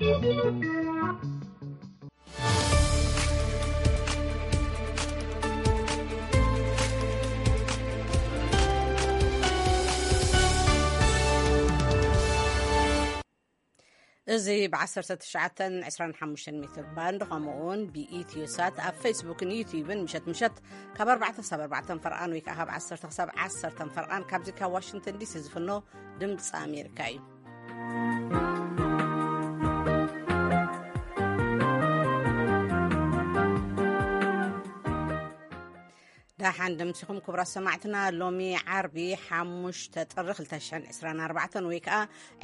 እዚ ብ1925 ሜትር ባንድ፣ ከምኡውን ብኢትዮ ሳት ኣብ ፌስቡክን ዩቲዩብን ምሸት ምሸት ካብ ኣርባዕተ ክሳብ ኣርባዕተ ፈርቓን ወይ ከዓ ካብ ዓሰርተ ክሳብ ዓሰርተ ፈርቓን ካብዚ ካብ ዋሽንግተን ዲሲ ዝፍኖ ድምፂ ኣሜሪካ እዩ። ደሓን ደምሲኹም ክቡራት ሰማዕትና። ሎሚ ዓርቢ ሓሙሽተ ጥሪ ክልተ ሽሕን ዕስራን ኣርባዕተን ወይ ከዓ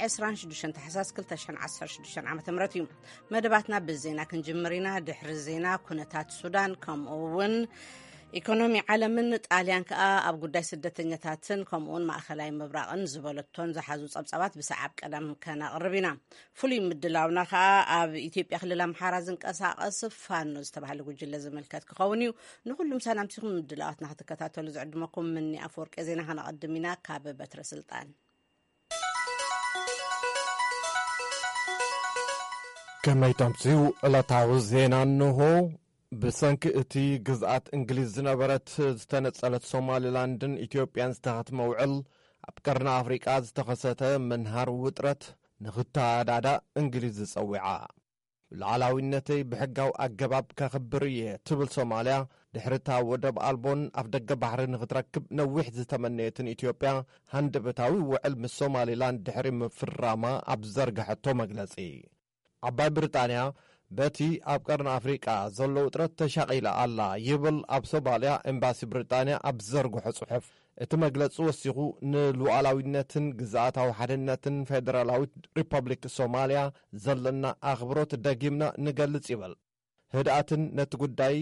ዕስራን ሽዱሽተን ታሕሳስ ክልተ ሽሕን ዓሰርተ ሽዱሽተን ዓመተ ምህረት እዩ። መደባትና ብዜና ክንጅምር ኢና። ድሕሪ ዜና ኩነታት ሱዳን ከምኡ እውን ኢኮኖሚ ዓለምን ጣልያን ከዓ ኣብ ጉዳይ ስደተኛታትን ከምኡውን ማእኸላይ ምብራቕን ዝበለቶን ዝሓዙ ጸብጻባት ብሰዓብ ቀዳም ከነቕርብ ኢና። ፍሉይ ምድላውና ከዓ ኣብ ኢትዮጵያ ክልል ኣምሓራ ዝንቀሳቐስ ፋኖ ዝተባህለ ጉጅለ ዝምልከት ክኸውን እዩ። ንኹሉም ሰላምቲኹም ምድላዋትና ክትከታተሉ ዝዕድመኩም ምኒ ኣፈወርቂ ዜና ከነቐድም ኢና ካብ በትረ ስልጣን። ከመይ ተምስዩ ዕለታዊ ዜና እንሆ። ብሰንኪ እቲ ግዝኣት እንግሊዝ ዝነበረት ዝተነጸለት ሶማሊላንድን ኢትዮጵያን ዝተኸትመ ውዕል፣ ኣብ ቀርኒ ኣፍሪቃ ዝተኸሰተ ምንሃር ውጥረት ንኽተኣዳዳእ እንግሊዝ ዝጸዊዓ። ሉዓላዊነተይ ብሕጋዊ ኣገባብ ከኽብር እየ ትብል ሶማልያ፣ ድሕሪታ ወደብ ኣልቦን ኣፍ ደገ ባሕሪ ንኽትረክብ ነዊሕ ዝተመነየትን ኢትዮጵያ፣ ሃንደበታዊ ውዕል ምስ ሶማሊላንድ ድሕሪ ምፍራማ ኣብ ዝዘርግሐቶ መግለጺ። ዓባይ ብሪጣንያ በቲ ኣብ ቀርኒ ኣፍሪቃ ዘሎ ውጥረት ተሻቒላ ኣላ ይብል ኣብ ሶማልያ ኤምባሲ ብሪጣንያ ኣብ ዝዘርግሖ ጽሑፍ። እቲ መግለጺ ወሲኹ፣ ንሉዓላዊነትን ግዝኣታዊ ሓድነትን ፌደራላዊት ሪፐብሊክ ሶማልያ ዘለና ኣኽብሮት ደጊምና ንገልጽ ይብል። ህድኣትን ነቲ ጉዳይ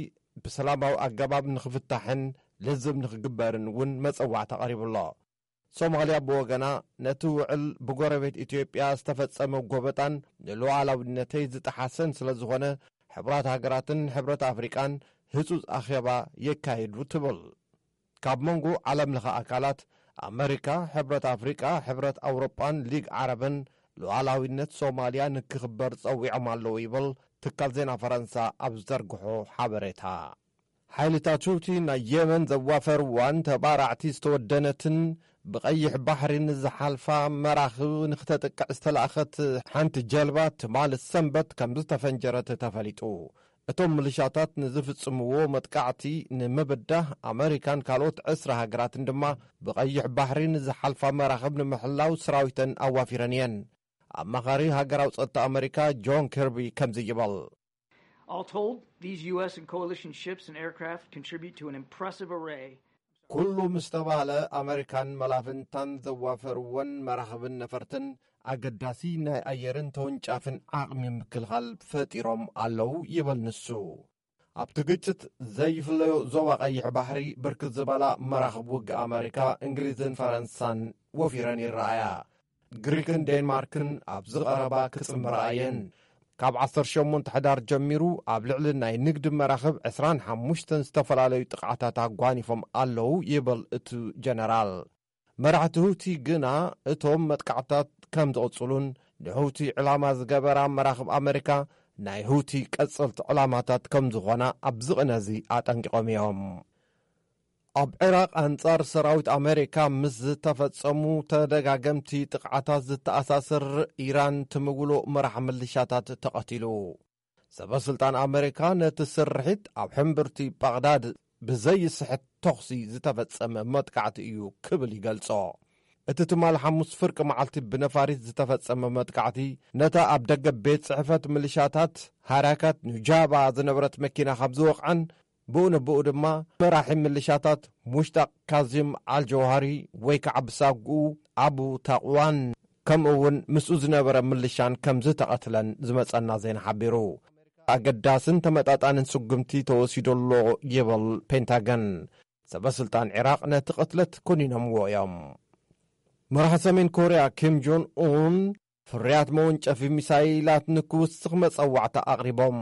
ብሰላማዊ ኣገባብ ንኽፍታሕን ልዝብ ንኽግበርን እውን መጸዋዕታ ቀሪቡ ኣሎ። ሶማልያ ብወገና፣ ነቲ ውዕል ብጎረቤት ኢትዮጵያ ዝተፈጸመ ጎበጣን ንሉዓላዊነተይ ዝጠሓሰን ስለ ዝኾነ፣ ሕቡራት ሃገራትን ሕብረት ኣፍሪቃን ህጹጽ ኣኼባ የካይዱ ትብል። ካብ መንጎ ዓለምለኸ ኣካላት፣ ኣመሪካ፣ ሕብረት ኣፍሪቃ፣ ሕብረት ኣውሮጳን ሊግ ዓረብን ሉዓላዊነት ሶማልያ ንክኽበር ጸዊዖም ኣለዉ ይብል ትካል ዜና ፈረንሳ ኣብ ዝዘርግሖ ሓበሬታ። ሓይልታት ሁቲ ናይ የመን ዘዋፈርዋን ተባራዕቲ ዝተወደነትን ብቐይሕ ባሕሪ ንዝሓልፋ መራኽብ ንክተጥቅዕ ዝተላእኸት ሓንቲ ጀልባ ትማሊ ሰንበት ከም ዝተፈንጀረት ተፈሊጡ። እቶም ምልሻታት ንዝፍጽምዎ መጥቃዕቲ ንምብዳህ ኣመሪካን ካልኦት ዕስራ ሃገራትን ድማ ብቐይሕ ባሕሪ ንዝሓልፋ መራኽብ ንምሕላው ሰራዊተን ኣዋፊረን እየን። ኣማኻሪ ሃገራዊ ጸጥታ ኣመሪካ ጆን ኪርቢ ከምዚ ይበል። All told, these U S and coalition ships and aircraft contribute to an impressive array ኩሉ ምስ ተባህለ፣ ኣመሪካን መላፍንታን ዘዋፈርወን መራኽብን ነፈርትን ኣገዳሲ ናይ ኣየርን ተወንጫፍን ዓቕሚ ምክልኻል ፈጢሮም ኣለዉ ይብል ንሱ። ኣብቲ ግጭት ዘይፍለዮ ዞባ ቀይሕ ባሕሪ ብርክት ዝበላ መራኽብ ውግእ ኣመሪካ፣ እንግሊዝን ፈረንሳን ወፊረን ይረኣያ። ግሪክን ዴንማርክን ኣብዚ ቀረባ ክጽምብራ እየን። ካብ ዓሰርተ ሸሞንተ ሕዳር ጀሚሩ ኣብ ልዕሊ ናይ ንግዲ መራኽብ ዕስራን ሓሙሽተን ዝተፈላለዩ ጥቕዓታት ኣጓኒፎም ኣለዉ ይብል እቲ ጀነራል። መራሕቲ ሁቲ ግና እቶም መጥቃዕታት ከም ዝቕጽሉን ንሁቲ ዕላማ ዝገበራ መራኽብ ኣመሪካ ናይ ሁቲ ቀጸልቲ ዕላማታት ከም ዝኾና ኣብዚ ቅነ እዚ ኣጠንቂቖም እዮም። ኣብ ዒራቕ ኣንጻር ሰራዊት ኣመሪካ ምስ ዝተፈጸሙ ተደጋገምቲ ጥቕዓታት ዝተኣሳሰር ኢራን ትምውሎ መራሕ ምልሻታት ተቐቲሉ። ሰበ ስልጣን ኣመሪካ ነቲ ስርሒት ኣብ ሕምብርቲ ባቕዳድ ብዘይስሕት ተኹሲ ዝተፈጸመ መጥቃዕቲ እዩ ክብል ይገልጾ። እቲ ትማል ሓሙስ ፍርቂ መዓልቲ ብነፋሪት ዝተፈጸመ መጥቃዕቲ ነታ ኣብ ደገ ቤት ጽሕፈት ምልሻታት ሃራካት ኑጃባ ዝነበረት መኪና ካብ ዝወቕዐን ብኡ ንብኡ ድማ መራሒ ምልሻታት ሙሽጣቅ ካዚም ኣልጀውሃሪ ወይ ከዓ ብሳጉኡ ኣቡ ታቕዋን ከምኡ እውን ምስኡ ዝነበረ ምልሻን ከም ዝተቐትለን ዝመጸና ዜና ሓቢሩ። ኣገዳስን ተመጣጣንን ስጉምቲ ተወሲዱ ኣሎ ይብል ፔንታገን። ሰበ ስልጣን ዒራቕ ነቲ ቅትለት ኮኒኖምዎ እዮም። መራሒ ሰሜን ኮርያ ኪም ጆን ኡን ፍርያት መወንጨፊ ሚሳይላት ንክውስኽ መጸዋዕታ ኣቕሪቦም።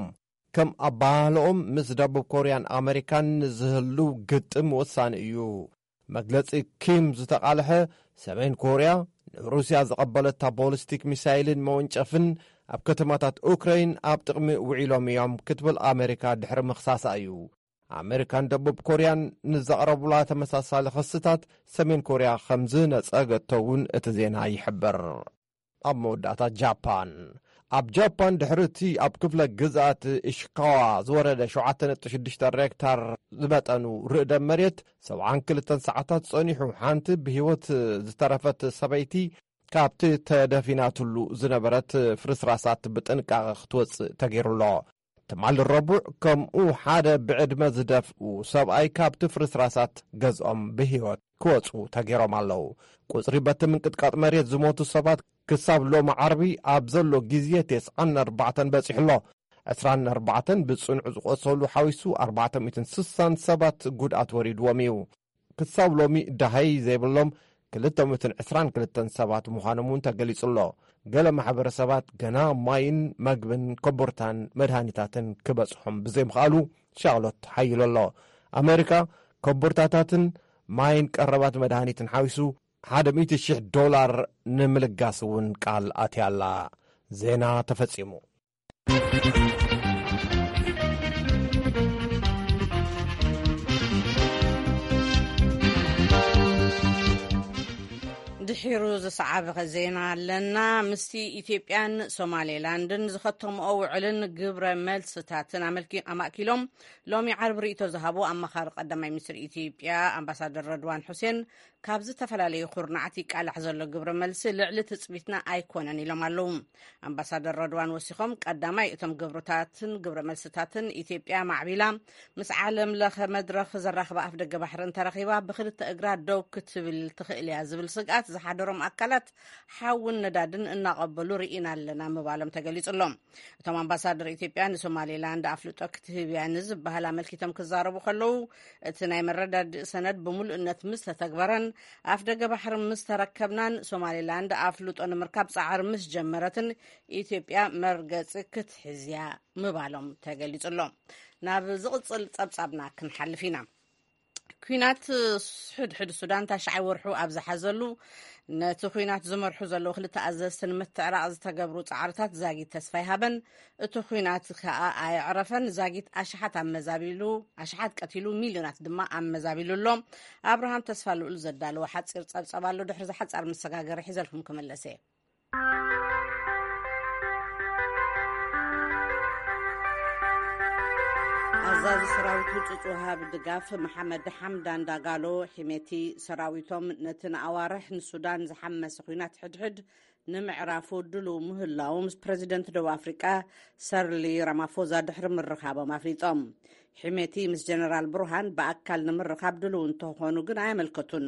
ከም ኣባህልኦም ምስ ደቡብ ኮርያን ኣመሪካን ንዝህሉ ግጥም ወሳኒ እዩ። መግለጺ ኪም ዝተቓልሐ፣ ሰሜን ኮርያ ንሩስያ ዝቐበለታ ቦሊስቲክ ሚሳይልን መወንጨፍን ኣብ ከተማታት ኡክራይን ኣብ ጥቕሚ ውዒሎም እዮም ክትብል ኣሜሪካ ድሕሪ ምኽሳሳ እዩ። ኣሜሪካን ደቡብ ኮርያን ንዘቕረቡላ ተመሳሳሊ ክስታት ሰሜን ኮርያ ከም ዝነጸገቶ እውን እቲ ዜና ይሕብር። ኣብ መወዳእታ ጃፓን። ኣብ ጃፓን ድሕሪ እቲ ኣብ ክፍለ ግዝኣት ኢሽካዋ ዝወረደ ሸውዓተ ነጥቢ ሽዱሽተ ሬክታር ዝመጠኑ ርዕደ መሬት ሰብዓን ክልተን ሰዓታት ጸኒሑ፣ ሓንቲ ብህይወት ዝተረፈት ሰበይቲ ካብቲ ተደፊናትሉ ዝነበረት ፍርስራሳት ብጥንቃቐ ክትወጽእ ተገይሩሎ። ትማሊ ረቡዕ ከምኡ ሓደ ብዕድመ ዝደፍኡ ሰብኣይ ካብቲ ፍርስራሳት ገዝኦም ብህይወት ክወጹ ተገይሮም ኣለዉ። ቁጽሪ በቲ ምንቅጥቃጥ መሬት ዝሞቱ ሰባት ክሳብ ሎሚ ዓርቢ ኣብ ዘሎ ግዜ ተስዓን ኣርባዕተን በጺሑ ኣሎ። ዕስራን ኣርባዕተን ብጽኑዕ ዝቆሰሉ ሓዊሱ ኣርባዕተ ሚእትን ስሳን ሰባት ጉድኣት ወሪድዎም እዩ። ክሳብ ሎሚ ደሃይ ዘይብሎም ክልተ ሚእትን ዕስራን ክልተን ሰባት ምዃኖም እውን ተገሊጹ ኣሎ። ገለ ማሕበረሰባት ገና ማይን መግብን ኮቦርታን መድሃኒታትን ክበጽሖም ብዘይምኽኣሉ ሻቕሎት ሓይሉ ኣሎ። ኣሜሪካ ኮቦርታታትን ማይን ቀረባት መድሃኒትን ሓዊሱ ሓደ ሚእቲ ሽሕ ዶላር ንምልጋስ እውን ቃል ኣትያላ። ዜና ተፈጺሙ። ድሒሩ ዝሰዓበ ዜና ኣለና። ምስቲ ኢትዮጵያን ሶማሌላንድን ዝኸተምኦ ውዕልን ግብረ መልስታትን ኣመልኪ-፣ ኣማእኪሎም ሎሚ ዓርቢ ርእይቶ ዝሃቡ ኣማኻሪ ቀዳማይ ሚኒስትር ኢትዮጵያ ኣምባሳደር ረድዋን ሑሴን፣ ካብ ዝተፈላለዩ ኩርናዓት ይቃላሕ ዘሎ ግብረ መልሲ ልዕሊ ትጽቢትና ኣይኮነን ኢሎም ኣለዉ። ኣምባሳደር ረድዋን ወሲኾም፣ ቀዳማይ እቶም ግብርታትን ግብረ መልስታትን ኢትዮጵያ ማዕቢላ ምስ ዓለም ለኸ መድረኽ ዘራኽባ ኣፍ ደገ ባሕሪ እንተረኺባ ብክልተ እግራ ደው ክትብል ትኽእል እያ ዝብል ስግኣት ዝሓደሮም ኣካላት ሓውን ነዳድን እናቐበሉ ርኢና ኣለና ምባሎም ተገሊጹ ኣሎ። እቶም ኣምባሳደር ኢትዮጵያ ንሶማሌላንድ ኣፍልጦ ክትህብ እያ ንዝበሃል ኣመልኪቶም ክዛረቡ ከለዉ፣ እቲ ናይ መረዳድእ ሰነድ ብምሉእነት ምስ ተተግበረን ኣፍ ደገ ባሕሪ ምስ ተረከብናን ሶማሌላንድ ኣፍልጦ ንምርካብ ጻዕሪ ምስ ጀመረትን ኢትዮጵያ መርገጺ ክትሕዝ እያ ምባሎም ተገሊጹ ኣሎ። ናብ ዝቕጽል ጸብጻብና ክንሓልፍ ኢና። ኲናት ሕድሕድ ሱዳን ታሽዓይ ወርሑ ኣብ ዝሓዘሉ፣ ነቲ ኲናት ዝመርሑ ዘለዉ ክልተ ኣዘዝቲ ንምትዕራቕ ዝተገብሩ ጻዕርታት ዛጊት ተስፋ ይሃበን። እቲ ኲናት ከኣ ኣየዕረፈን። ዛጊት ኣሽሓት ኣመዛቢሉ፣ ኣሽሓት ቀቲሉ፣ ሚልዮናት ድማ ኣመዛቢሉ ኣሎ። ኣብርሃም ተስፋ ልኡል ዘዳለዎ ሓጺር ጸብጻብ ኣሎ። ድሕሪ ዝሓጻር መሰጋገሪ ሒዘልኩም ክምለስ እየ። ኣዛዚ ሰራዊት ህጹጽ ወሃብ ድጋፍ መሓመድ ሓምዳን ዳጋሎ ሒሜቲ፣ ሰራዊቶም ነቲ ንኣዋርሕ ንሱዳን ዝሓመሰ ኲናት ሕድሕድ ንምዕራፉ ድሉው ምህላዉ ምስ ፕረዚደንት ደቡብ ኣፍሪቃ ሰርሊ ራማፎዛ ድሕሪ ምርኻቦም ኣፍሊጦም። ሒሜቲ ምስ ጀነራል ብሩሃን ብኣካል ንምርኻብ ድሉው እንተኾኑ ግን ኣየመልከቱን።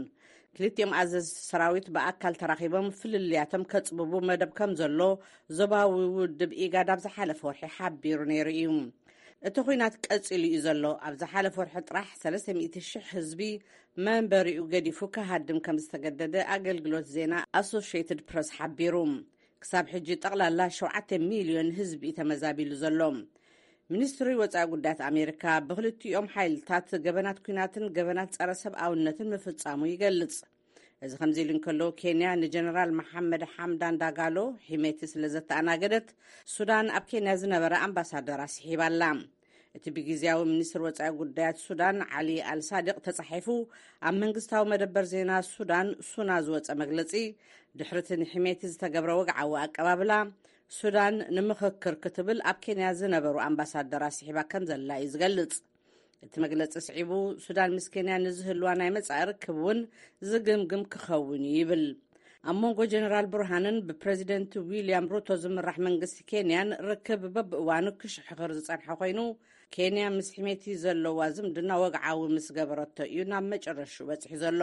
ክልቲኦም ኣዘዝቲ ሰራዊት ብኣካል ተራኺቦም ፍልልያቶም ከጽብቡ መደብ ከም ዘሎ ዞባዊ ውድብ ኢጋድ ኣብ ዝሓለፈ ወርሒ ሓቢሩ ነይሩ እዩ። እቲ ኲናት ቀጺሉ እዩ ዘሎ። ኣብ ዝሓለፈ ወርሒ ጥራሕ ሰለስተ ሚእቲ ሽሕ ህዝቢ መንበሪኡ ገዲፉ ክሃድም ከም ዝተገደደ ኣገልግሎት ዜና ኣሶሽየትድ ፕረስ ሓቢሩ። ክሳብ ሕጂ ጠቕላላ ሸውዓተ ሚልዮን ህዝቢ እዩ ተመዛቢሉ ዘሎ። ሚኒስትሪ ወጻኢ ጉዳያት ኣሜሪካ ብክልቲኦም ሓይልታት ገበናት ኲናትን ገበናት ጸረ ሰብኣውነትን ምፍጻሙ ይገልጽ። እዚ ከምዚ ኢሉ እንከሎ፣ ኬንያ ንጀነራል መሓመድ ሓምዳን ዳጋሎ ሒሜቲ ስለ ዘተኣናገደት፣ ሱዳን ኣብ ኬንያ ዝነበረ ኣምባሳደር ኣስሒባ ኣላ። እቲ ብግዝያዊ ሚኒስትር ወጻኢ ጉዳያት ሱዳን ዓሊ ኣልሳዲቕ ተጻሒፉ ኣብ መንግስታዊ መደበር ዜና ሱዳን ሱና ዝወጸ መግለጺ፣ ድሕሪ እቲ ንሒሜቲ ዝተገብረ ወግዓዊ ኣቀባብላ፣ ሱዳን ንምኽክር ክትብል ኣብ ኬንያ ዝነበሩ ኣምባሳደር ኣስሒባ ከም ዘላ እዩ ዝገልጽ። እቲ መግለጺ ስዒቡ፣ ሱዳን ምስ ኬንያ ንዝህልዋ ናይ መጻኢ ርክብ እውን ዝግምግም ክኸውን እዩ ይብል። ኣብ መንጎ ጀነራል ብርሃንን ብፕረዚደንት ዊልያም ሩቶ ዝምራሕ መንግስቲ ኬንያን ርክብ በብእዋኑ ክሽሕኽር ዝጸንሐ ኮይኑ፣ ኬንያ ምስ ሒሜቲ ዘለዋ ዝምድና ወግዓዊ ምስ ገበረቶ እዩ ናብ መጨረሽኡ በጺሑ ዘሎ።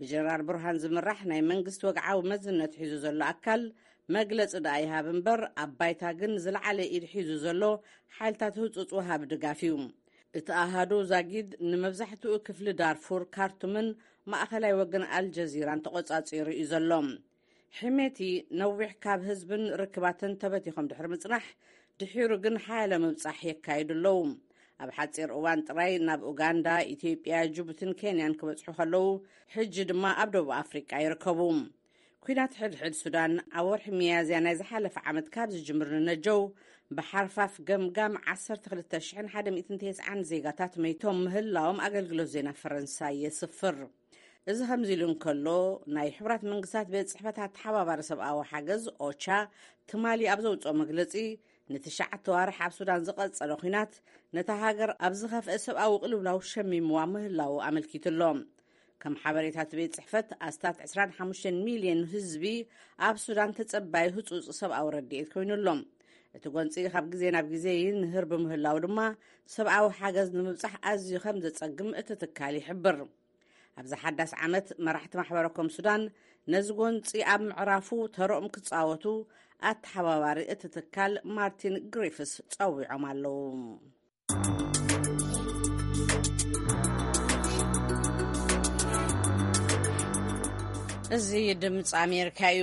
ብጀነራል ብርሃን ዝምራሕ ናይ መንግስቲ ወግዓዊ መዝነት ሒዙ ዘሎ ኣካል መግለጺ ደኣ ይሃብ እምበር፣ ኣብ ባይታ ግን ዝለዓለ ኢድ ሒዙ ዘሎ ሓይልታት ህጹጽ ወሃቢ ድጋፍ እዩ። እቲ ኣሃዱ ዛጊድ ንመብዛሕትኡ ክፍሊ ዳርፉር፣ ካርቱምን ማእኸላይ ወገን ኣልጀዚራን ተቖጻጺሩ እዩ ዘሎ። ሒሜቲ ነዊሕ ካብ ህዝብን ርክባትን ተበቲኾም ድሕሪ ምጽናሕ፣ ድሒሩ ግን ሓያለ ምብጻሕ የካይዱ ኣለዉ። ኣብ ሓጺር እዋን ጥራይ ናብ ኡጋንዳ፣ ኢትዮጵያ፣ ጅቡትን ኬንያን ክበጽሑ ከለዉ፣ ሕጂ ድማ ኣብ ደቡብ ኣፍሪቃ ይርከቡ። ኲናት ሕድሕድ ሱዳን ኣብ ወርሒ ሚያዝያ ናይ ዝሓለፈ ዓመት ካብ ዝጅምር ንነጀው ብሓርፋፍ ገምጋም ዓሰርተ ክልተ ሽሕን ሓደ ሚእትን ተስዓን ዜጋታት መይቶም ምህላዎም ኣገልግሎት ዜና ፈረንሳይ የስፍር። እዚ ከምዚ ኢሉ እንከሎ፣ ናይ ሕቡራት መንግስታት ቤት ጽሕፈት ኣተሓባባሪ ሰብኣዊ ሓገዝ ኦቻ ትማሊ ኣብ ዘውጽኦ መግለጺ፣ ንትሽዓተ ዋርሕ ኣብ ሱዳን ዝቐጸለ ኲናት ነታ ሃገር ኣብ ዝኸፍአ ሰብኣዊ ቅልውላው ሸሚምዋ ምህላዉ ኣመልኪቱ ኣሎ። ከም ሓበሬታ እቲ ቤት ጽሕፈት፣ ኣስታት ዕስራን ሓሙሽተን ሚልዮን ህዝቢ ኣብ ሱዳን ተጸባይ ህጹጽ ሰብኣዊ ረድኤት ኮይኑ ኣሎ። እቲ ጎንጺ ካብ ግዜ ናብ ግዜ ይንህር ብምህላው ድማ፣ ሰብኣዊ ሓገዝ ንምብጻሕ ኣዝዩ ከም ዘጸግም እቲ ትካል ይሕብር። ኣብዚ ሓዳስ ዓመት፣ መራሕቲ ማሕበረ ኮም ሱዳን ነዚ ጎንጺ ኣብ ምዕራፉ ተረኦም ክጻወቱ ኣተሓባባሪ እቲ ትካል ማርቲን ግሪፍስ ጸዊዖም ኣለዉ። እዚ ድምፂ ኣሜሪካ እዩ።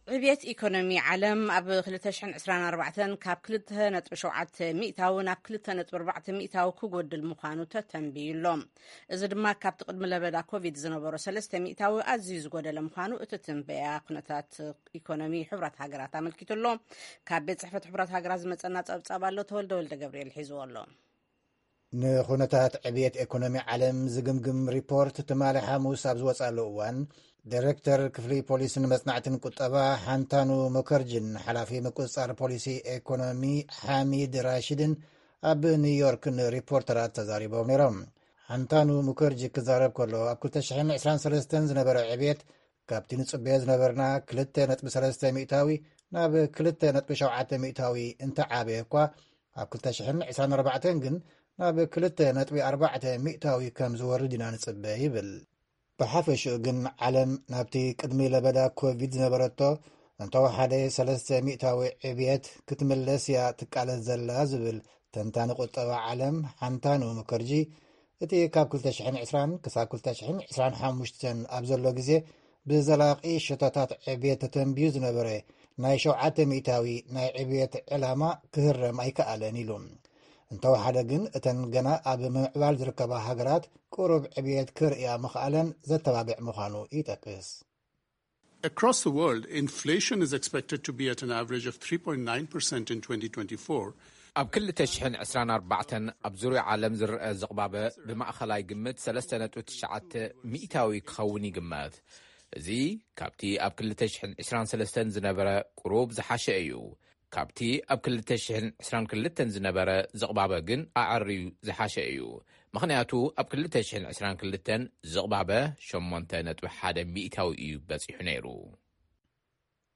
ዕብየት ኢኮኖሚ ዓለም ኣብ ክልተ ሽሕን ዕስራን ኣርባዕተን ካብ ክልተ ነጥቢ ሸውዓተ ሚእታዊ ናብ ክልተ ነጥቢ ኣርባዕተ ሚእታዊ ክጎድል ምዃኑ ተተንብዩ ኣሎ። እዚ ድማ ካብቲ ቅድሚ ለበዳ ኮቪድ ዝነበሮ ሰለስተ ሚእታዊ ኣዝዩ ዝጎደለ ምዃኑ እቲ ትንበያ ኩነታት ኢኮኖሚ ሕቡራት ሃገራት ኣመልኪቱ ኣሎ። ካብ ቤት ጽሕፈት ሕቡራት ሃገራት ዝመጸና ጸብጻብ ኣሎ። ተወልደ ወልደ ገብርኤል ሒዝዎ ኣሎ። ንኹነታት ዕብየት ኤኮኖሚ ዓለም ዝግምግም ሪፖርት ትማሊ ሓሙስ ኣብ ዝወጻሉ እዋን፣ ዳይሬክተር ክፍሊ ፖሊስን መጽናዕትን ቁጠባ ሓንታኑ ሙከርጅን ሓላፊ ምቁጽጻር ፖሊሲ ኤኮኖሚ ሓሚድ ራሽድን ኣብ ኒውዮርክ ንሪፖርተራት ተዛሪቦም ነይሮም። ሓንታኑ ሙከርጂ ክዛረብ ከሎ፣ ኣብ ክልተ ሽሕን ዕስራን ሰለስተን ዝነበረ ዕብየት ካብቲ ንጽበዮ ዝነበርና ክልተ ነጥቢ ሰለስተ ሚእታዊ ናብ ክልተ ነጥቢ ሸውዓተ ሚእታዊ እንተዓበየ እኳ፣ ኣብ ክልተ ሽሕን ዕስራን ኣርባዕተን ግን ናብ ክልተ ነጥቢ ኣርባዕተ ሚእታዊ ከም ዝወርድ ኢና ንጽበ ይብል። ብሓፈሽኡ ግን ዓለም ናብቲ ቅድሚ ለበዳ ኮቪድ ዝነበረቶ እንተወሓደ ሰለስተ ሚእታዊ ዕብየት ክትምለስ እያ ትቃለስ ዘላ ዝብል ተንታኒ ቁጠባ ዓለም ሓንታኑ ሙከርጂ፣ እቲ ካብ ክልተ ሽሕን ዕስራን ክሳብ ክልተ ሽሕን ዕስራን ሓሙሽተን ኣብ ዘሎ ግዜ ብዘላቒ ሸቶታት ዕብየት ተተንብዩ ዝነበረ ናይ ሸውዓተ ሚእታዊ ናይ ዕብየት ዕላማ ክህረም ኣይከኣለን ኢሉ። እንተወሓደ ግን እተን ገና ኣብ ምምዕባል ዝርከባ ሃገራት ቁሩብ ዕብየት ክርእያ ምኽኣለን ዘተባብዕ ምዃኑ ይጠቅስ። Across the world, inflation is expected to be at an average of three point nine percent in twenty twenty-four. ኣብ ክልተ ሽሕን ዕስራን ኣርባዕተን ኣብ ዙርያ ዓለም ዝረአ ዝቕባበ ብማእኸላይ ግምት ሰለስተ ነጥቢ ትሽዓተ ሚእታዊ ክኸውን ይግመት። እዚ ካብቲ ኣብ ክልተ ሽሕን ዕስራን ሰለስተን ዝነበረ ቁሩብ ዝሓሸ እዩ። ካብቲ ኣብ ክልተ ሽሕን ዕስራን ክልተን ዝነበረ ዝቕባበ ግን ኣዐርዩ ዝሓሸ እዩ። ምኽንያቱ ኣብ ክልተ ሽሕን ዕስራን ክልተን ዝቕባበ ሸሞንተ ነጥቢ ሓደ ሚእታዊ እዩ በጺሑ ነይሩ።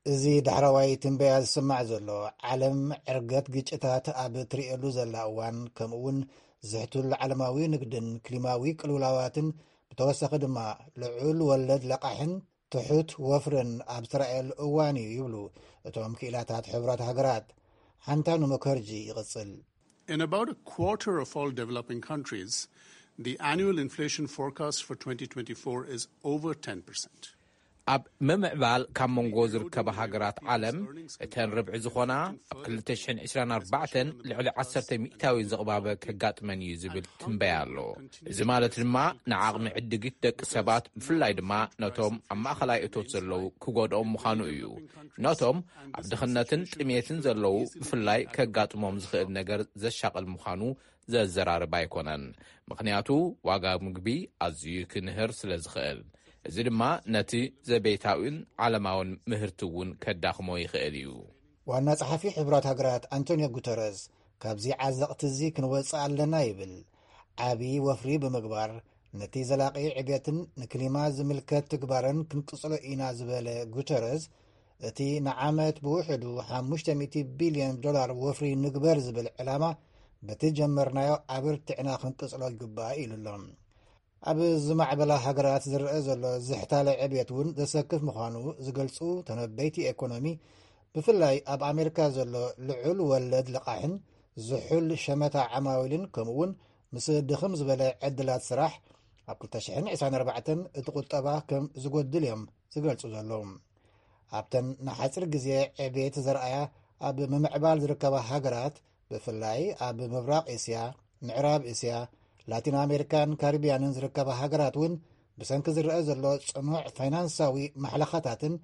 እዚ ዳሕረዋይ ትንበያ ዝስማዕ ዘሎ፣ ዓለም ዕርገት ግጭታት ኣብ ትርእየሉ ዘላ እዋን፣ ከምኡውን ዝሕቱል ዓለማዊ ንግድን ክሊማዊ ቅልውላዋትን፣ ብተወሳኺ ድማ ልዑል ወለድ ለቃሕን ትሑት ወፍርን ኣብ ዝተራእየሉ እዋን እዩ ይብሉ እቶም ክኢላታት ሕቡራት ሃገራት። ሓንታኑ ሙከርጂ ይቕጽል። In about a quarter of all developing countries, the annual inflation forecast for twenty twenty-four is over ten percent. ኣብ ምምዕባል ካብ መንጎ ዝርከባ ሃገራት ዓለም፣ እተን ርብዒ ዝኾና ኣብ ክልተ ሽሕን ዕስራን ኣርባዕተን ልዕሊ ዓሰርተ ሚእታዊ ዝቕባበ ከጋጥመን እዩ ዝብል ትንበያ ኣሎ። እዚ ማለት ድማ ንዓቕሚ ዕድጊት ደቂ ሰባት፣ ብፍላይ ድማ ነቶም ኣብ ማእኸላይ እቶት ዘለዉ ክጎድኦም ምዃኑ እዩ። ነቶም ኣብ ድኽነትን ጥሜትን ዘለዉ ብፍላይ ከጋጥሞም ዝኽእል ነገር ዘሻቕል ምዃኑ ዘዘራርብ ኣይኮነን። ምኽንያቱ ዋጋ ምግቢ ኣዝዩ ክንህር ስለ ዝኽእል። እዚ ድማ ነቲ ዘቤታዊን ዓለማውን ምህርቲ እውን ከዳኽሞ ይኽእል እዩ። ዋና ጸሓፊ ሕቡራት ሃገራት ኣንቶኒዮ ጉተረዝ፣ ካብዚ ዓዘቕቲ እዚ ክንወጽእ ኣለና ይብል። ዓቢ ወፍሪ ብምግባር፣ ነቲ ዘላቒ ዕብየትን ንክሊማ ዝምልከት ትግባረን ክንቅጽሎ ኢና ዝበለ ጉተረዝ፣ እቲ ንዓመት ብውሕዱ ሓሙሽተ ሚእቲ ቢልዮን ዶላር ወፍሪ ንግበር ዝብል ዕላማ በቲ ጀመርናዮ ኣበርቲዕና ክንቅጽሎ ይግባእ ኢሉ ኣሎ። ኣብ ዝማዕበላ ሃገራት ዝረአ ዘሎ ዝሕታለ ዕብየት እውን ዘሰክፍ ምዃኑ ዝገልጹ ተነበይቲ ኤኮኖሚ፣ ብፍላይ ኣብ ኣሜሪካ ዘሎ ልዑል ወለድ ልቓሕን ዝሑል ሸመታ ዓማዊልን፣ ከምኡውን ምስ ድኽም ዝበለ ዕድላት ስራሕ ኣብ ክልተ ሽሕን ዕስራን ኣርባዕተን እቲ ቁጠባ ከም ዝጎድል እዮም ዝገልጹ ዘለዉ። ኣብተን ንሓጺር ግዜ ዕብየት ዘርኣያ ኣብ ምምዕባል ዝርከባ ሃገራት፣ ብፍላይ ኣብ ምብራቕ እስያ፣ ምዕራብ እስያ፣ ላቲን ኣሜሪካን ካሪብያንን ዝርከባ ሃገራት እውን ብሰንኪ ዝረአ ዘሎ ጽኑዕ ፋይናንሳዊ ማሕለኻታትን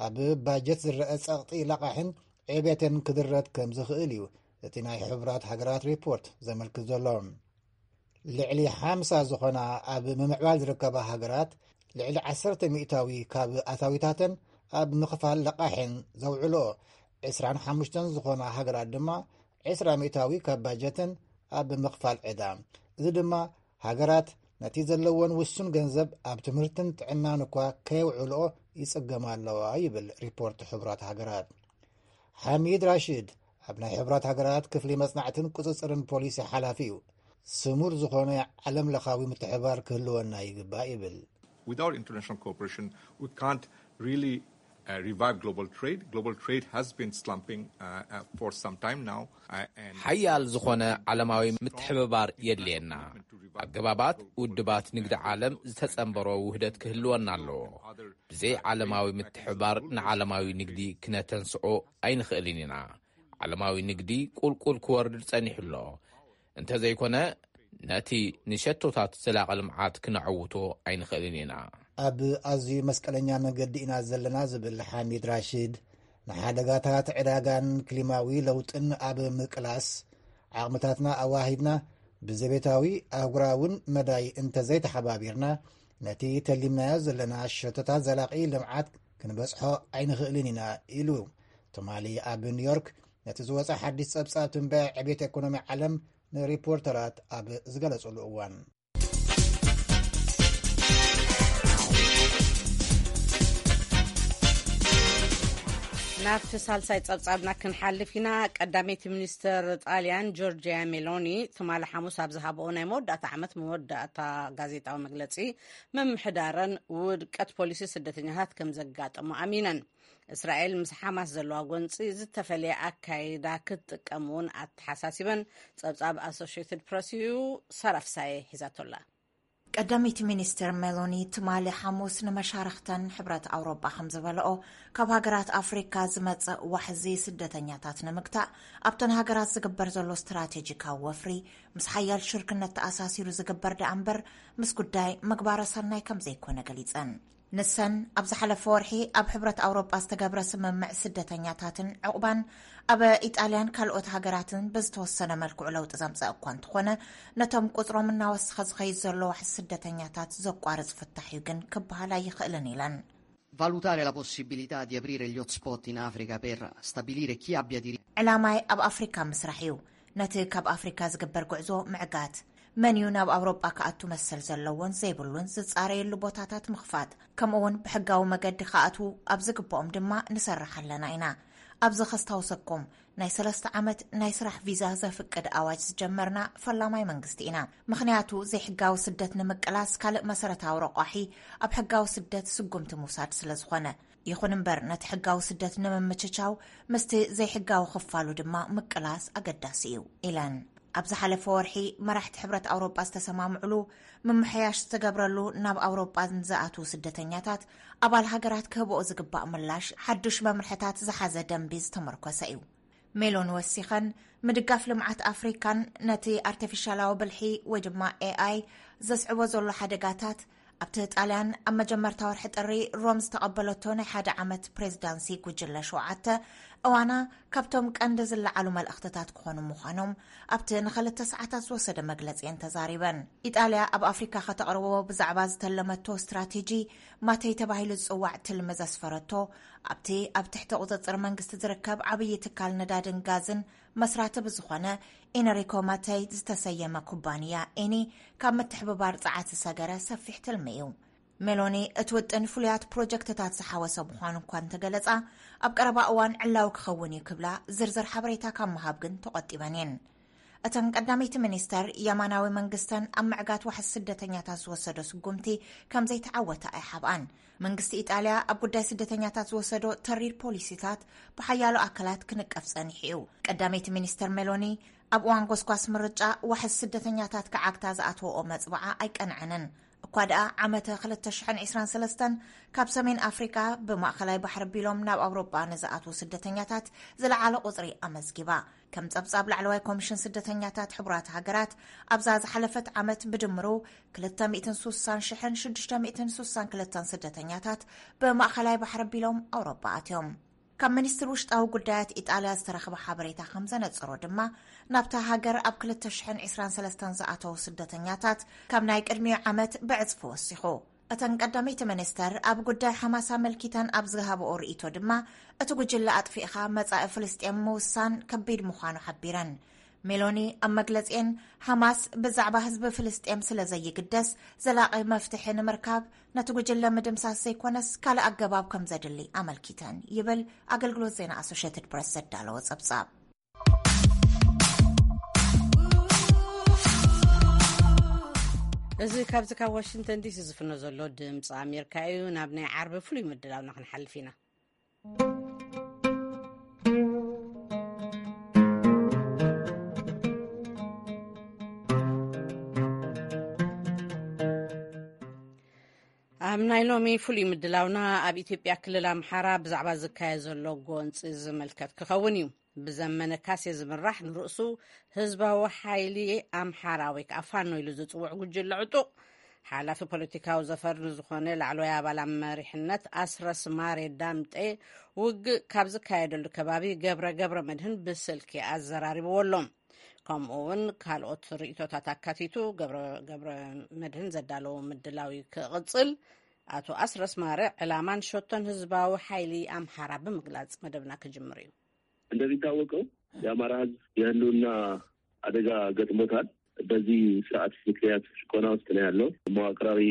ኣብ ባጀት ዝረአ ጸቕጢ ለቓሕን ዕቤትን ክድረት ከም ዝኽእል እዩ እቲ ናይ ሕቡራት ሃገራት ሪፖርት ዘመልክት ዘሎ። ልዕሊ ሓምሳ ዝኾና ኣብ ምምዕባል ዝርከባ ሃገራት ልዕሊ ዓሰርተ ሚእታዊ ካብ ኣታዊታተን ኣብ ምኽፋል ለቓሕን ዘውዕልኦ፣ ዕስራን ሓሙሽተን ዝኾና ሃገራት ድማ ዕስራ ሚእታዊ ካብ ባጀተን ኣብ ምኽፋል ዕዳ። እዚ ድማ ሃገራት ነቲ ዘለወን ውሱን ገንዘብ ኣብ ትምህርትን ጥዕናን እኳ ከየውዕልኦ ይጽገማ ኣለዋ ይብል ሪፖርት ሕቡራት ሃገራት። ሓሚድ ራሽድ ኣብ ናይ ሕቡራት ሃገራት ክፍሊ መጽናዕትን ቁጽጽርን ፖሊሲ ሓላፊ እዩ። ስሙር ዝኾነ ዓለም ለኻዊ ምትሕባር ክህልወና ይግባእ ይብል። Without international cooperation, we can't really uh, revive global trade. Global trade has been slumping uh, uh, for some time now. Uh, and ሓያል ዝኾነ ዓለማዊ ምትሕብባር የድልየና። ኣገባባት ውድባት ንግዲ ዓለም ዝተጸንበሮ ውህደት ክህልወና ኣለዎ። ብዘይ ዓለማዊ ምትሕብባር ንዓለማዊ ንግዲ ክነተንስኦ ኣይንኽእልን ኢና። ዓለማዊ ንግዲ ቁልቁል ክወርድ ጸኒሑ ኣሎ። እንተዘይኮነ ነቲ ንሸቶታት ዘላቒ ልምዓት ክነዐውቶ ኣይንኽእልን ኢና። ኣብ ኣዝዩ መስቀለኛ መገዲ ኢና ዘለና ዝብል ሓሚድ ራሽድ፣ ንሓደጋታት ዕዳጋን ክሊማዊ ለውጥን ኣብ ምቅላስ ዓቕምታትና ኣዋሂድና ብዘቤታዊ ኣህጉራውን መዳይ እንተዘይተሓባቢርና ነቲ ተሊምናዮ ዘለና ሸቶታት ዘላቒ ልምዓት ክንበጽሖ ኣይንኽእልን ኢና ኢሉ። ትማሊ ኣብ ኒውዮርክ ነቲ ዝወጸ ሓድሽ ጸብጻብ ትንበያ ዕቤት ኤኮኖሚ ዓለም ንሪፖርተራት ኣብ ዝገለጹሉ እዋን። ናብቲ ሳልሳይ ጸብጻብና ክንሓልፍ ኢና። ቀዳመይቲ ሚኒስተር ጣልያን ጆርጂያ ሜሎኒ ትማሊ ሓሙስ ኣብ ዝሃብኦ ናይ መወዳእታ ዓመት መወዳእታ ጋዜጣዊ መግለጺ፣ ምምሕዳረን ውድቀት ፖሊሲ ስደተኛታት ከም ዘጋጠሞ ኣሚነን። እስራኤል ምስ ሓማስ ዘለዋ ጎንጺ ዝተፈለየ ኣካይዳ ክትጥቀም እውን ኣተሓሳሲበን። ጸብጻብ ኣሶሽትድ ፕረስ እዩ። ሰራፍሳየ ሒዛቶላ። ቀዳመይቲ ሚኒስትር ሜሎኒ ትማሊ ሓሙስ ንመሻርኽተን ሕብረት ኣውሮጳ ከም ዝበለኦ፣ ካብ ሃገራት ኣፍሪካ ዝመጽእ ዋሕዚ ስደተኛታት ንምግታእ ኣብተን ሃገራት ዝግበር ዘሎ ስትራቴጂካዊ ወፍሪ ምስ ሓያል ሽርክነት ተኣሳሲሩ ዝግበር ደኣ እምበር ምስ ጉዳይ ምግባረ ሰናይ ከም ዘይኮነ ገሊጸን። ንሰን ኣብ ዝሓለፈ ወርሒ ኣብ ሕብረት ኣውሮጳ ዝተገብረ ስምምዕ ስደተኛታትን ዕቑባን ኣብ ኢጣልያን ካልኦት ሃገራትን ብዝተወሰነ መልክዑ ለውጢ ዘምፀእ እኳ እንተኾነ፣ ነቶም ቁፅሮም እናወሰኸ ዝኸይድ ዘሎ ዋሕዚ ስደተኛታት ዘቋርፅ ፍታሕ እዩ ግን ክበሃል ኣይኽእልን ኢለን። Valutare la possibilità di aprire gli hotspot in Africa per stabilire chi abbia diritto. ዕላማይ ኣብ ኣፍሪካ ምስራሕ እዩ። ነቲ ካብ ኣፍሪካ ዝግበር ጉዕዞ ምዕጋት፣ መን እዩ ናብ ኣውሮጳ ክኣቱ መሰል ዘለዎን ዘይብሉን ዝጻረየሉ ቦታታት ምኽፋት፣ ከምኡውን ብሕጋዊ መገዲ ክኣትዉ ኣብ ዝግብኦም ድማ ንሰርሕ ኣለና ኢና። ኣብዚ ከስታውሰኩም፣ ናይ ሰለስተ ዓመት ናይ ስራሕ ቪዛ ዘፍቅድ ኣዋጅ ዝጀመርና ፈላማይ መንግስቲ ኢና። ምኽንያቱ ዘይሕጋዊ ስደት ንምቅላስ ካልእ መሰረታዊ ረቋሒ ኣብ ሕጋዊ ስደት ስጉምቲ ምውሳድ ስለ ዝኾነ። ይኹን እምበር ነቲ ሕጋዊ ስደት ንምምችቻው ምስቲ ዘይሕጋዊ ክፋሉ ድማ ምቅላስ ኣገዳሲ እዩ ኢለን። ኣብ ዝሓለፈ ወርሒ መራሕቲ ሕብረት ኣውሮጳ ዝተሰማምዕሉ ምምሕያሽ ዝተገብረሉ ናብ ኣውሮጳ ንዝኣትዉ ስደተኛታት ኣባል ሃገራት ክህብኦ ዝግባእ ምላሽ ሓዱሽ መምርሕታት ዝሓዘ ደንቢ ዝተመርኮሰ እዩ። ሜሎን ወሲኸን ምድጋፍ ልምዓት ኣፍሪካን ነቲ ኣርቲፊሻላዊ ብልሒ ወይ ድማ ኤኣይ ዘስዕቦ ዘሎ ሓደጋታት ኣብቲ ጣልያን ኣብ መጀመርታ ወርሒ ጥሪ ሮም ዝተቐበለቶ ናይ ሓደ ዓመት ፕሬዝዳንሲ ጉጅለ ሸውዓተ እዋና ካብቶም ቀንዲ ዝለዓሉ መልእኽትታት ክኾኑ ምዃኖም ኣብቲ ንኸልተ ሰዓታት ዝወሰደ መግለጺ እየን ተዛሪበን። ኢጣልያ ኣብ ኣፍሪካ ከተቕርቦ ብዛዕባ ዝተለመቶ ስትራቴጂ ማተይ ተባሂሉ ዝጽዋዕ ትልሚ ዘስፈረቶ ኣብቲ ኣብ ትሕቲ ቁጽጽር መንግስቲ ዝርከብ ዓብዪ ትካል ነዳድን ጋዝን መስራቲ ብዝኾነ ኢነሪኮ ማተይ ዝተሰየመ ኩባንያ ኤኒ ካብ ምትሕብባር ጸዓት ዝሰገረ ሰፊሕ ትልሚ እዩ። ሜሎኒ እቲ ውጥን ፍሉያት ፕሮጀክትታት ዝሓወሰ ምዃኑ እኳ እንተገለጻ፣ ኣብ ቀረባ እዋን ዕላዊ ክኸውን እዩ ክብላ ዝርዝር ሓበሬታ ካብ ምሃብ ግን ተቖጢበን እየን። እተን ቀዳመይቲ ሚኒስተር የማናዊ መንግስተን ኣብ ምዕጋት ዋሕዚ ስደተኛታት ዝወሰዶ ስጉምቲ ከም ዘይተዓወተ ኣይሓብኣን። መንግስቲ ኢጣልያ ኣብ ጉዳይ ስደተኛታት ዝወሰዶ ተሪር ፖሊሲታት ብሓያሎ ኣካላት ክንቀፍ ጸኒሑ እዩ። ቀዳመይቲ ሚኒስተር ሜሎኒ ኣብ እዋን ጎስጓስ ምርጫ ዋሕዚ ስደተኛታት ክዓግታ ዝኣተወኦ መጽብዓ ኣይቀንዐንን። እኳ ደኣ ዓመተ ክልተ ሽሕን ዕስራን ሰለስተን ካብ ሰሜን ኣፍሪቃ ብማእኸላይ ባሕሪ ኣቢሎም ናብ ኣውሮጳ ንዝኣትዉ ስደተኛታት ዝለዓለ ቁጽሪ ኣመዝጊባ። ከም ጸብጻብ ላዕለዋይ ኮሚሽን ስደተኛታት ሕቡራት ሃገራት፣ ኣብዛ ዝሓለፈት ዓመት ብድምሩ ክልተ ሚእትን ሱሳን ሽሕን ሽዱሽተ ሚእትን ሱሳን ክልተን ስደተኛታት ብማእኸላይ ባሕሪ ኣቢሎም ኣውሮጳ ኣትዮም። ካብ ሚኒስትሪ ውሽጣዊ ጉዳያት ኢጣልያ ዝተረኽበ ሓበሬታ ከም ዘነጽሮ ድማ፣ ናብታ ሃገር ኣብ ክልተ ሽሕን ዕስራን ሰለስተን ዝኣተዉ ስደተኛታት ካብ ናይ ቅድሚኡ ዓመት ብዕጽፊ ወሲኹ። እተን ቀዳመይቲ ሚኒስተር ኣብ ጉዳይ ሓማስ ኣመልኪተን ኣብ ዝሃብኦ ርእይቶ ድማ፣ እቲ ጉጅለ ኣጥፊእኻ መጻኢ ፍልስጤም ምውሳን ከቢድ ምዃኑ ሓቢረን። ሜሎኒ ኣብ መግለጺኤን፣ ሓማስ ብዛዕባ ህዝቢ ፍልስጤም ስለ ዘይግደስ፣ ዘላቒ መፍትሒ ንምርካብ ነቲ ጉጅለ ምድምሳስ ዘይኮነስ ካልእ ኣገባብ ከም ዘድሊ ኣመልኪተን ይብል ኣገልግሎት ዜና ኣሶሼትድ ፕረስ ዘዳለዎ ጸብጻብ። እዚ ካብዚ ካብ ዋሽንግተን ዲሲ ዝፍኖ ዘሎ ድምፂ ኣሜሪካ እዩ። ናብ ናይ ዓርቢ ፍሉይ ምድላውና ክንሓልፍ ኢና። ኣብ ናይ ሎሚ ፍሉይ ምድላውና፣ ኣብ ኢትዮጵያ ክልል ኣምሓራ ብዛዕባ ዝካየድ ዘሎ ጎንፂ ዝምልከት ክኸውን እዩ። ብዘመነ ካሴ ዝምራሕ ንርእሱ ህዝባዊ ሓይሊ ኣምሓራ ወይ ከዓ ፋኖ ኢሉ ዝፅውዕ ጉጅለ ዕጡቕ፣ ሓላፊ ፖለቲካዊ ዘፈር ንዝኾነ ላዕለዋይ ኣባል ኣብ መሪሕነት ኣስረስ ማሬ ዳምጤ፣ ውግእ ካብ ዝካየደሉ ከባቢ ገብረ ገብረ መድህን ብስልኪ ኣዘራሪብዎ ኣሎ። ከምኡ እውን ካልኦት ርእይቶታት ኣካቲቱ ገብረ ገብረ መድህን ዘዳለዎ ምድላው ክቕጽል፣ ኣቶ ኣስረስ ማረ ዕላማን ሸቶን ህዝባዊ ሓይሊ ኣምሓራ ብምግላጽ መደብና ክጅምር እዩ። እንደሚታወቀው የአማራ ህዝብ የህልውና አደጋ ገጥሞታል። በዚህ ስርዓት ምክንያት ጭቆና ውስጥ ነው ያለው። መዋቅራዊ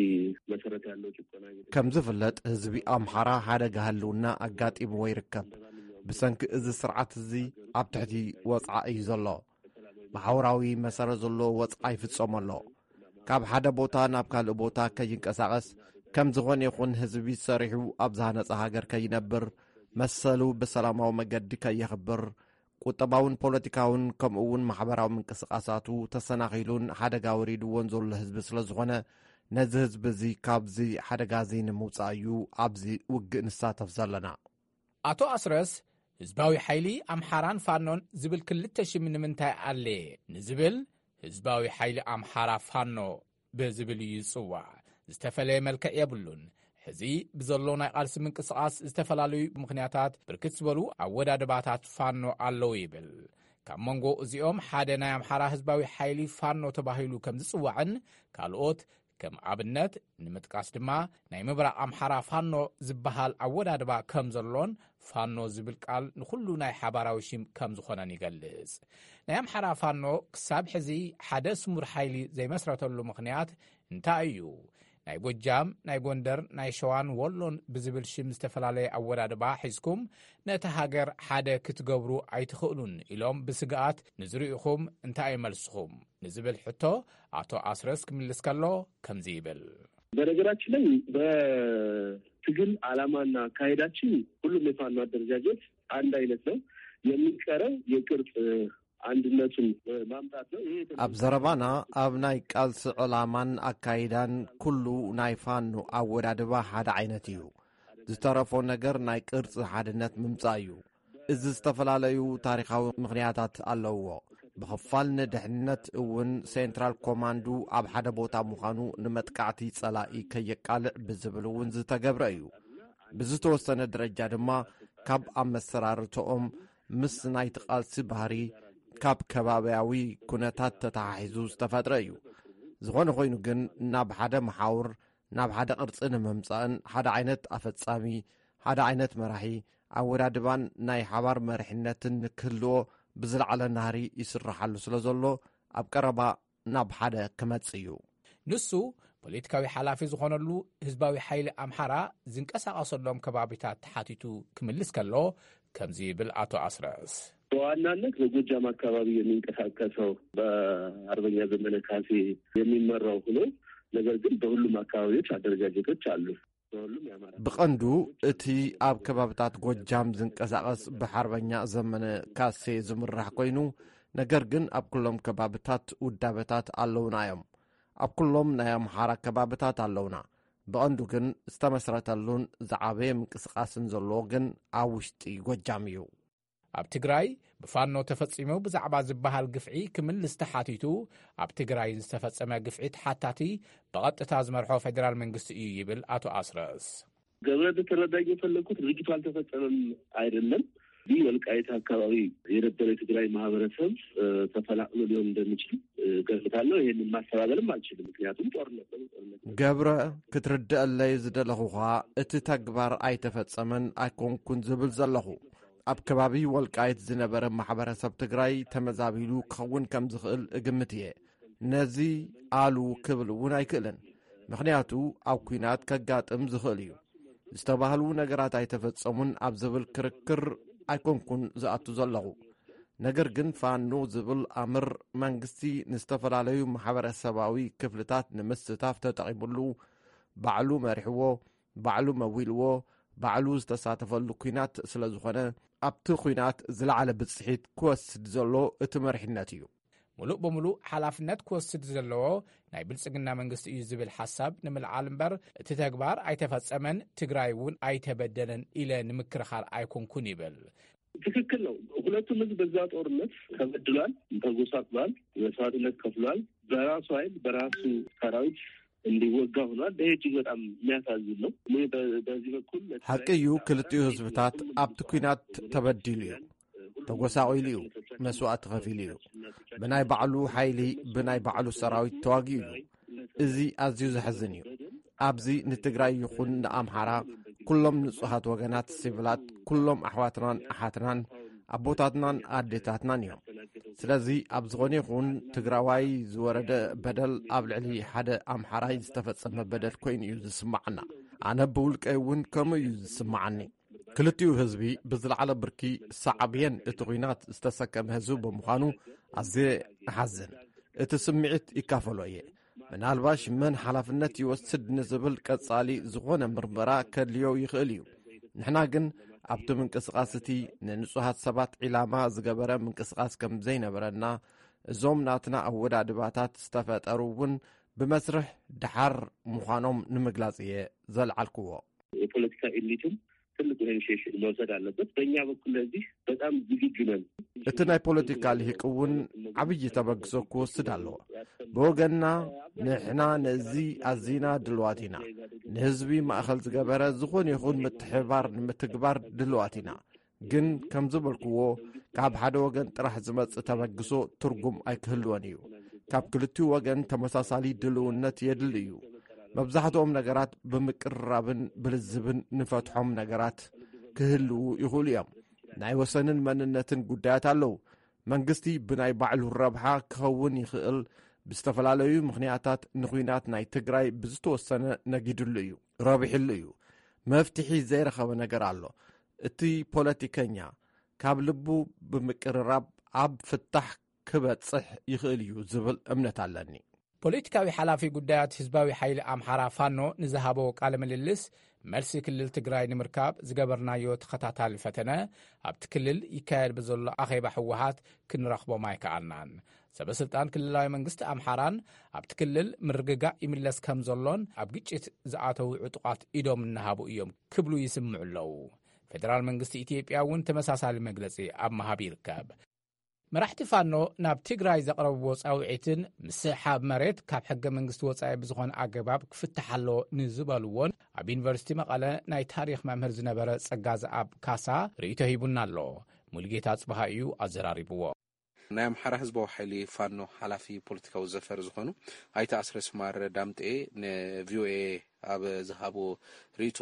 መሰረት ያለው ጭቆና። ከም ዝፍለጥ፣ ህዝቢ ኣምሓራ ሓደጋ ህልውና ኣጋጢምዎ ይርከብ። ብሰንኪ እዚ ስርዓት እዚ ኣብ ትሕቲ ወጽዓ እዩ ዘሎ። ማሕበራዊ መሰረት ዘለዎ ወጽዓ ይፍጸሞ ኣሎ። ካብ ሓደ ቦታ ናብ ካልእ ቦታ ከይንቀሳቐስ፣ ከም ዝኾነ ይኹን ህዝቢ ሰሪሑ ኣብ ዝሃነጸ ሃገር ከይነብር፣ መሰሉ ብሰላማዊ መገዲ ከየኽብር፣ ቁጠባውን ፖለቲካውን ከምኡ እውን ማሕበራዊ ምንቅስቓሳቱ ተሰናኺሉን ሓደጋ ወሪድዎን ዘሎ ህዝቢ ስለ ዝኾነ፣ ነዚ ህዝቢ እዚ ካብዚ ሓደጋ እዚ ንምውጻእ እዩ ኣብዚ ውግእ ንሳተፍ ዘለና። ኣቶ ኣስረስ፣ ህዝባዊ ሓይሊ ኣምሓራን ፋኖን ዝብል ክልተ ሽም ንምንታይ ኣለ ንዝብል፣ ህዝባዊ ሓይሊ ኣምሓራ ፋኖ ብዝብል እዩ ዝጽዋዕ። ዝተፈለየ መልክዕ የብሉን። ሕዚ ብዘሎ ናይ ቃልሲ ምንቅስቓስ ዝተፈላለዩ ምኽንያታት ብርክት ዝበሉ ኣወዳድባታት ፋኖ ኣለዉ ይብል። ካብ መንጎ እዚኦም ሓደ ናይ ኣምሓራ ህዝባዊ ሓይሊ ፋኖ ተባሂሉ ከም ዝጽዋዕን ካልኦት ከም ኣብነት ንምጥቃስ ድማ ናይ ምብራቕ ኣምሓራ ፋኖ ዝበሃል ኣወዳድባ ከም ዘሎን ፋኖ ዝብል ቃል ንኹሉ ናይ ሓባራዊ ሽም ከም ዝኾነን ይገልጽ። ናይ ኣምሓራ ፋኖ ክሳብ ሕዚ ሓደ ስሙር ሓይሊ ዘይመስረተሉ ምኽንያት እንታይ እዩ? ናይ ጎጃም፣ ናይ ጎንደር፣ ናይ ሸዋን ወሎን ብዝብል ሽም ዝተፈላለየ ኣወዳድባ ሒዝኩም ነቲ ሃገር ሓደ ክትገብሩ ኣይትኽእሉን ኢሎም ብስግኣት ንዝርእኹም እንታይ እዩ መልስኹም? ንዝብል ሕቶ ኣቶ ኣስረስ ክምልስ ከሎ ከምዚ ይብል። በነገራችን ላይ በትግል ዓላማና አካሄዳችን ሁሉም የፋኖ አደረጃጀት አንድ አይነት ነው። የሚቀረው የቅርጽ አንድነቱን ማምጣት ነው። ይሄ የተለየ ኣብ ዘረባና፣ ኣብ ናይ ቃልሲ ዕላማን ኣካይዳን ኩሉ ናይ ፋኖ ኣወዳድባ ሓደ ዓይነት እዩ። ዝተረፎ ነገር ናይ ቅርጺ ሓድነት ምምጻእ እዩ። እዚ ዝተፈላለዩ ታሪኻዊ ምኽንያታት ኣለውዎ። ብኽፋል ንድሕነት እውን ሴንትራል ኮማንዱ ኣብ ሓደ ቦታ ምዃኑ ንመጥቃዕቲ ጸላኢ ከየቃልዕ ብዝብል እውን ዝተገብረ እዩ። ብዝተወሰነ ደረጃ ድማ ካብ ኣመሰራርተኦም ምስ ናይቲ ቃልሲ ባህሪ ካብ ከባብያዊ ኩነታት ተተሓሒዙ ዝተፈጥረ እዩ። ዝኾነ ኮይኑ ግን ናብ ሓደ መሓውር ናብ ሓደ ቅርጺ ንምምጻእን ሓደ ዓይነት ኣፈጻሚ፣ ሓደ ዓይነት መራሒ፣ ኣወዳድባን ናይ ሓባር መሪሕነትን ንክህልዎ ብዝለዓለ ናህሪ ይስረሓሉ ስለ ዘሎ ኣብ ቀረባ ናብ ሓደ ክመጽእ እዩ። ንሱ ፖለቲካዊ ሓላፊ ዝኾነሉ ህዝባዊ ሓይሊ ኣምሓራ ዝንቀሳቐሰሎም ከባቢታት ተሓቲቱ ክምልስ ከሎ ከምዚ ይብል ኣቶ ኣስረስ። በዋናነት በጎጃም አካባቢ የሚንቀሳቀሰው በአርበኛ ዘመነ ካሴ የሚመራው ሆኖ ነገር ግን በሁሉም አካባቢዎች አደረጃጀቶች አሉ። በሁሉም የአማራ ብቐንዱ እቲ ኣብ ከባብታት ጎጃም ዝንቀሳቐስ ብሓርበኛ ዘመነ ካሴ ዝምራሕ ኮይኑ፣ ነገር ግን ኣብ ኩሎም ከባብታት ውዳበታት ኣለውና እዮም። ኣብ ኩሎም ናይ ኣምሓራ ከባብታት ኣለውና። ብቐንዱ ግን ዝተመስረተሉን ዝዓበየ ምንቅስቓስን ዘለዎ ግን ኣብ ውሽጢ ጎጃም እዩ። ኣብ ትግራይ ብፋኖ ተፈጺሙ ብዛዕባ ዝበሃል ግፍዒ ክምልስ ተሓቲቱ፣ ኣብ ትግራይ ዝተፈጸመ ግፍዒ ተሓታቲ ብቐጥታ ዝመርሖ ፌደራል መንግስቲ እዩ ይብል ኣቶ ኣስረስ። ገብረ፣ እንድትረዳኝ የፈለግኩት ድርጊቱ አልተፈጸመም አይደለም። ይህ ወልቃይት አካባቢ የነበረ የትግራይ ማህበረሰብ ተፈናቅሎ ሊሆን እንደሚችል ገምታለሁ። ይህንን ማስተባበልም አልችልም፣ ምክንያቱም ጦርነት ነው። ጦርነት ገብረ፣ ክትርድአለይ ዝደለኹኻ፣ እቲ ተግባር ኣይተፈጸመን ኣይኮንኩን ዝብል ዘለኹ፣ ኣብ ከባቢ ወልቃይት ዝነበረ ማሕበረሰብ ትግራይ ተመዛቢሉ ክኸውን ከም ዝኽእል እግምት እየ። ነዚ ኣሉ ክብል እውን ኣይክእልን፣ ምኽንያቱ ኣብ ኲናት ከጋጥም ዝኽእል እዩ። ዝተባህሉ ነገራት ኣይተፈጸሙን ኣብ ዝብል ክርክር ኣይኮንኩን ዝኣቱ ዘለኹ። ነገር ግን ፋኖ ዝብል ኣምር መንግስቲ ንዝተፈላለዩ ማሕበረሰባዊ ክፍልታት ንምስታፍ ተጠቒሙሉ፣ ባዕሉ መሪሕዎ፣ ባዕሉ መዊልዎ፣ ባዕሉ ዝተሳተፈሉ ኲናት ስለ ዝኾነ፣ ኣብቲ ኲናት ዝለዓለ ብጽሒት ክወስድ ዘሎ እቲ መሪሕነት እዩ። ሙሉእ ብምሉእ ሓላፍነት ክወስድ ዘለዎ ናይ ብልጽግና መንግስቲ እዩ ዝብል ሓሳብ ንምልዓል እምበር፣ እቲ ተግባር ኣይተፈጸመን፣ ትግራይ እውን ኣይተበደለን ኢለ ንምክርኻር ኣይኮንኩን ይብል። ትክክል ነው። ሁለቱም ህዝብ በዛ ጦርነት ተበድሏል፣ ተጎሳቅሏል፣ መስዋዕትነት ከፍሏል። በራሱ ኃይል በራሱ ሰራዊት እንዲወጋ ሆኗል። ይሄ እጅግ በጣም የሚያሳዝን ነው። እኔ በ-፣ በዚህ በኩል ለትግራይ ሐቂ እዩ፣ ክልቲኡ ህዝብታት ኣብቲ ኲናት ተበዲሉ እዩ፣ ተጎሳቒሉ እዩ፣ መስዋእቲ ከፊሉ እዩ። ብናይ ባዕሉ ሓይሊ፣ ብናይ ባዕሉ ሰራዊት ተዋጊኡ እዩ። እዚ ኣዝዩ ዘሕዝን እዩ። ኣብዚ ንትግራይ ይኹን ንኣምሓራ፣ ኩሎም ንጹሃት ወገናት፣ ሲቪላት፣ ኩሎም ኣሕዋትናን ኣሓትናን፣ ኣቦታትናን ኣዴታትናን እዮም። ስለዚ ኣብ ዝኾነ ይኹን ትግራዋይ ዝወረደ በደል ኣብ ልዕሊ ሓደ ኣምሓራይ ዝተፈጸመ በደል ኮይኑ እዩ ዝስማዓና። ኣነ ብውልቀይ እውን ከምኡ እዩ ዝስማዓኒ። ክልቲኡ ህዝቢ ብዝለዓለ ብርኪ ሳዕብየን እቲ ኲናት ዝተሰከመ ህዝቢ ብምዃኑ ኣዝየ እሓዝን። እቲ ስምዒት ይካፈሎ እየ። ምናልባሽ መን ሓላፍነት ይወስድ ንዝብል ቀጻሊ ዝኾነ ምርመራ ከድልዮ ይኽእል እዩ። ንሕና ግን ኣብቲ ምንቅስቓስ እቲ ንንጹሃት ሰባት ዒላማ ዝገበረ ምንቅስቓስ ከም ዘይነበረና፣ እዞም ናትና ኣወዳድባታት ዝተፈጠሩ እውን ብመስርሕ ደሓር ምዃኖም ንምግላጽ እየ ዘልዓልክዎ። የፖለቲካ ኤሊትም ትልቁ ኢኒሺዬሽን መውሰድ አለበት። በእኛ በኩል ለዚህ በጣም ዝግጁ ነን። እቲ ናይ ፖለቲካ ልሂቅ እውን ዓብዪ ተበግሶ ክወስድ ኣለዎ። ብወገንና ንሕና ነዚ ኣዚና ድልዋት ኢና። ንህዝቢ ማእኸል ዝገበረ ዝኾነ ይኹን ምትሕብባር ንምትግባር ድልዋት ኢና። ግን ከም ዝበልክዎ፣ ካብ ሓደ ወገን ጥራሕ ዝመጽእ ተበግሶ ትርጉም ኣይክህልዎን እዩ። ካብ ክልቲኡ ወገን ተመሳሳሊ ድልውነት የድሊ እዩ። መብዛሕትኦም ነገራት ብምቅርራብን ብልዝብን ንፈትሖም ነገራት ክህልዉ ይኽእሉ እዮም። ናይ ወሰንን መንነትን ጉዳያት ኣለዉ። መንግስቲ ብናይ ባዕሉ ረብሓ ክኸውን ይኽእል፣ ብዝተፈላለዩ ምኽንያታት ንኹናት ናይ ትግራይ ብዝተወሰነ ነጊድሉ እዩ፣ ረቢሕሉ እዩ። መፍትሒ ዘይረኸበ ነገር ኣሎ። እቲ ፖለቲከኛ ካብ ልቡ ብምቅርራብ ኣብ ፍታሕ ክበጽሕ ይኽእል እዩ ዝብል እምነት ኣለኒ። ፖለቲካዊ ሓላፊ ጉዳያት ህዝባዊ ሓይሊ ኣምሓራ ፋኖ ንዝሃቦ ቃለ ምልልስ፣ መልሲ ክልል ትግራይ ንምርካብ ዝገበርናዮ ተኸታታሊ ፈተነ፣ ኣብቲ ክልል ይካየድ ብዘሎ ኣኼባ ህወሓት ክንረኽቦም ኣይከኣልናን። ሰበ ስልጣን ክልላዊ መንግስቲ ኣምሓራን ኣብቲ ክልል ምርግጋእ ይምለስ ከም ዘሎን ኣብ ግጭት ዝኣተዉ ዕጡቓት ኢዶም እናሃቡ እዮም ክብሉ ይስምዑ ኣለዉ። ፌደራል መንግስቲ ኢትዮጵያ እውን ተመሳሳሊ መግለጺ ኣብ ምሃብ ይርከብ። መራሕቲ ፋኖ ናብ ትግራይ ዘቕረብዎ ጻውዒትን ምስሕሓብ መሬት ካብ ሕገ መንግስቲ ወጻኢ ብዝኾነ ኣገባብ ክፍታሕ ኣለዎ ንዝበልዎን ኣብ ዩኒቨርሲቲ መቐለ ናይ ታሪኽ መምህር ዝነበረ ጸጋዝኣብ ካሳ ርእይቶ ሂቡና ኣሎ። ሙሉጌታ ጽበሃ እዩ ኣዘራሪብዎ። ናይ ኣምሓራ ህዝባዊ ሓይሊ ፋኖ ሓላፊ ፖለቲካዊ ዘፈር ዝኾኑ ኣይተ ኣስረስ ማረ ዳምጤ ንቪኦኤ ኣብ ዝሃብዎ ርእይቶ፣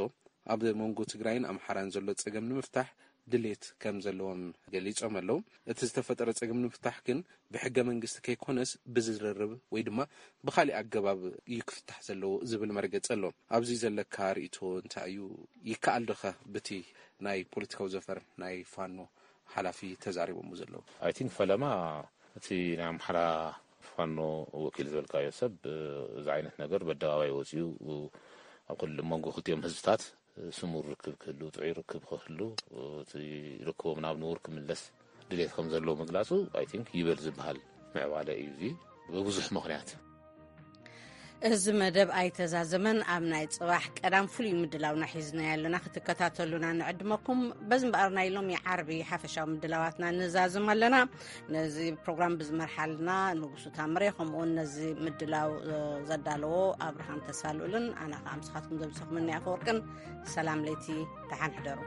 ኣብ መንጎ ትግራይን ኣምሓራን ዘሎ ጸገም ንምፍታሕ ድሌት ከም ዘለዎም ገሊጾም ኣለዉ። እቲ ዝተፈጠረ ጸገም ንምፍታሕ ግን ብሕገ መንግስቲ ከይኮነስ ብዝርርብ ወይ ድማ ብኻሊእ ኣገባብ እዩ ክፍታሕ ዘለዎ ዝብል መርገጺ ኣሎ። ኣብዚ ዘለካ ርእይቶ እንታይ እዩ? ይከኣል ዶኸ ብቲ ናይ ፖለቲካዊ ዘፈር ናይ ፋኖ ሓላፊ ተዛሪቦም ዘለዉ? ኣይ ቲንክ ፈለማ እቲ ናይ ኣምሓራ ፋኖ ወኪል ዝበልካዮ ሰብ እዚ ዓይነት ነገር በደባባይ ወፂኡ ኣብ ክል-፣ መንጎ ክልቲኦም ህዝብታት ስሙር ርክብ ክህሉ፣ ጥዑይ ርክብ ክህሉ፣ እቲ ርክቦም ናብ ንቡር ክምለስ ድሌት ከም ዘለዎ ምግላፁ ኣይ ቲንክ ይበል ዝበሃል ምዕባለ እዩ። እዚ ብብዙሕ ምኽንያት እዚ መደብ ኣይተዛዘመን። ኣብ ናይ ጽባሕ ቀዳም ፍሉይ ምድላውና ሒዝና ያለና ክትከታተሉና ንዕድመኩም። በዚ እምበኣር ናይ ሎሚ ዓርቢ ሓፈሻዊ ምድላዋትና ንዛዝም ኣለና። ነዚ ፕሮግራም ብዝመርሓልና ንጉሱ ታምሬ፣ ከምኡውን ነዚ ምድላው ዘዳለዎ ኣብርሃም ተስፋልኡልን ኣና ከዓ ምስኻትኩም ዘምሰኹምኒ ኣፈወርቅን ሰላም ለይቲ ተሓንሕደሩ።